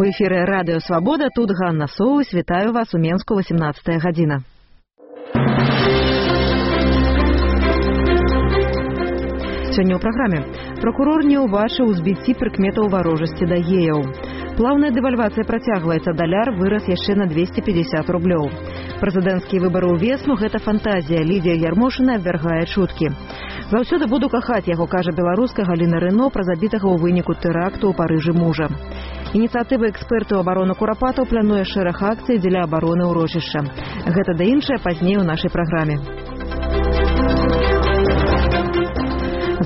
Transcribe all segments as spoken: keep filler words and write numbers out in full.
У эфіры радыё Свабода, тут Ганна Соус, вітаю вас у Менску, васемнадцатая гадзіна. Сёння ў праграме. Пракурор не ўбачыў узбіцці прыкметаў варожасці да геяў. Плаўная дэвальвацыя працягваецца, даляр вырас яшчэ на двести пятьдесят рублёў. Прэзідэнцкія выбары ў весну – гэта фантазія. Лідія Ярмошына абвяргае чуткі. Заўсёды буду кахаць яго, кажа беларуска Галіна Рыно пра забітага ў выніку тэракту ў Парыжы мужа. Ініцыятыва экспертаў абароны курапатаў плануе шэраг акцый дзеля абароны ўрочышча. Гэта да іншае пазней у нашай праграме.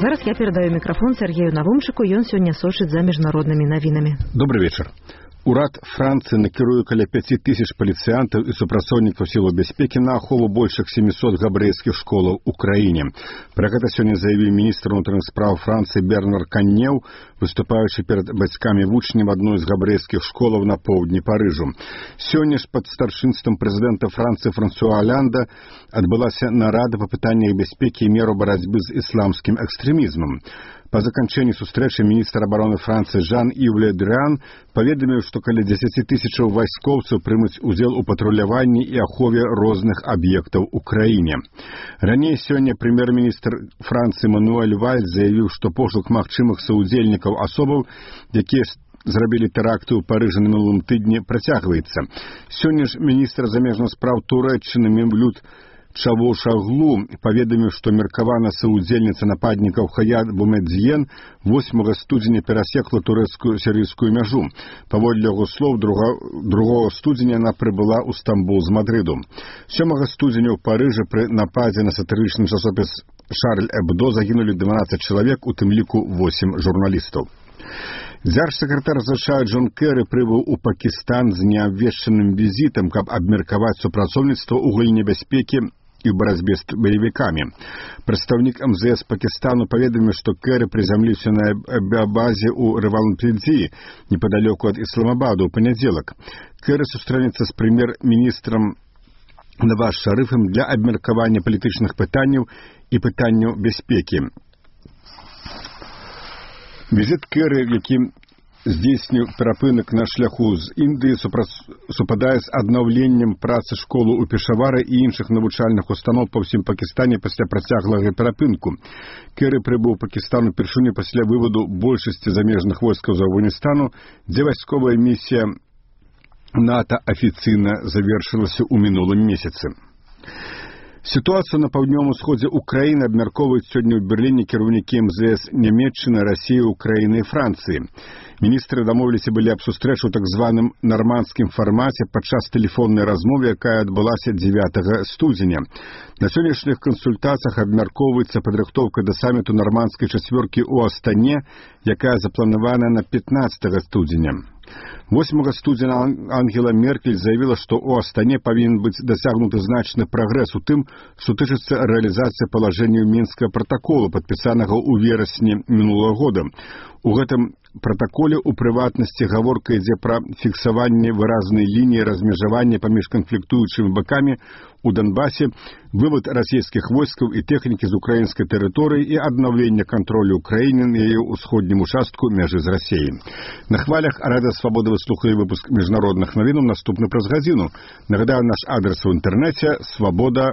Зараз я перадаю мікрафон Сергею Навумчыку, ён сёння сочыць за міжнароднымі навінамі. Добрый вечар. Урад Францыі накіруе каля пяці тысяч паліцыянтаў і супрацоўнікаў сілаў бяспекі на ахову большых семісот габрэйскіх школаў у краіне. Пра гэта сёння заявіў міністр унутраных спраў Францыі Бернар Каннеў, выступаючы перад бацькамі вучняў адной з габрэйскіх школаў на поўдні Парыжу. Сёння ж пад старшынствам прэзідэнта Францыі Франсуа Оланда адбылася нарада па пытаннях бяспекі і меру барацьбы з ісламскім экстрэмізмам. Па заканчэнні сустрэчы міністр абароны Францыі Жан-Ів Ле Дрыан паведаміў, што каля дзесяці тысячаў вайскоўцаў прымуць удзел у патруляванні і ахове розных аб'ектаў у краіне. Раней сёння прэм'ер-міністр Францыі Мануэль Вальс заявіў, што пошук магчымых саўдзельнікаў асобаў, якія зрабілі тэракты ў Парыжы на мінулым тыдні, працягваецца. Сёння ж міністр замежных спраў Турэччыны Мевлют Чавушаглу паведаміў, што меркавана саўдзельніца нападнікаў Хаят Бумедзьен восьмага студзеня перасекла турэцкую сірыйскую мяжу. Паводле яго слоў, другога студзеня яна прыбыла ў Стамбул з Мадрыду. сёмага студзеня ў Парыжы пры нападзе на сатырычны часопіс Шарль Эбдо загінулі дванаццаць чалавек, у тым ліку восем журналістаў. Дзяржсакратар США Джон Кэры прыбыў у Пакістан з неабвешчаным візітам, каб абмеркаваць супрацоўніцтва ў галіне бяспекі і ў барацьбе з баевікамі. Прадстаўнік эм зэ эс Пакістану паведаміў, што Кэры прызямліўся на авіабазе ў Равалпіндзі, непадалёку ад Ісламабаду, ў панядзелак. Кэры сустрэнецца з прэм'ер-міністрам Наваз Шарыфам для абмеркавання палітычных пытанняў і пытанняў бяспекі. Візіт Кэры, які здзейсніў перапынак на шляху з Індыі, супадае з аднаўленнем працы школы ў Пешавары і іншых навучальных устаноў па ўсім Пакістане пасля працяглага перапынку. Кэры прыбыў у Пакістан упершыню пасля выводу большасці замежных войскаў з Афганістану, дзе вайсковая місія НАТО афіцыйна завершылася ў мінулым месяцы. Сітуацыю на паўднёвым усходзе ўкраіны абмяркоўваюць сёння ў Берліне кіраўнікі эм зэ эс Нямецчыны, Расіі, Украіны і Францыі. Міністры дамовіліся былі аб сустрэчу ў так званым нармандскім фармаце падчас тэлефоннай размовы, якая адбылася дзевятага студзеня. На сённяшніх кансультацыях абмяркоўваецца падрыхтоўка да саміту нармандскай чацвёркі ў Астане, якая запланавана на пятнаццатага студзеня. восьмага студзеня Ангела Меркель заявіла, што ў Астане павінен быць дасягнуты значны прагрэс у тым, што тычыцца рэалізацыі палажэнняў Мінскага пратакола, падпісанага ў верасні мінулага года. У гэтым пратаколе ў прыватнасці гаворка ідзе пра фіксаванне выразнай лініі размежавання паміж канфліктуючымі бакамі у Донбасе, вывод расійскіх войскаў і тэхнікі з украінскай тэрыторыі і аднаўленне кантролю ўкраіны на яе ўсходнім участку мяжы з Расіяй. На хвалях Радыё Свабода вы слухалі выпуск міжнародных навінаў, наступны праз гадзіну. Нагадаю, наш адрес у інтэрнэце свабода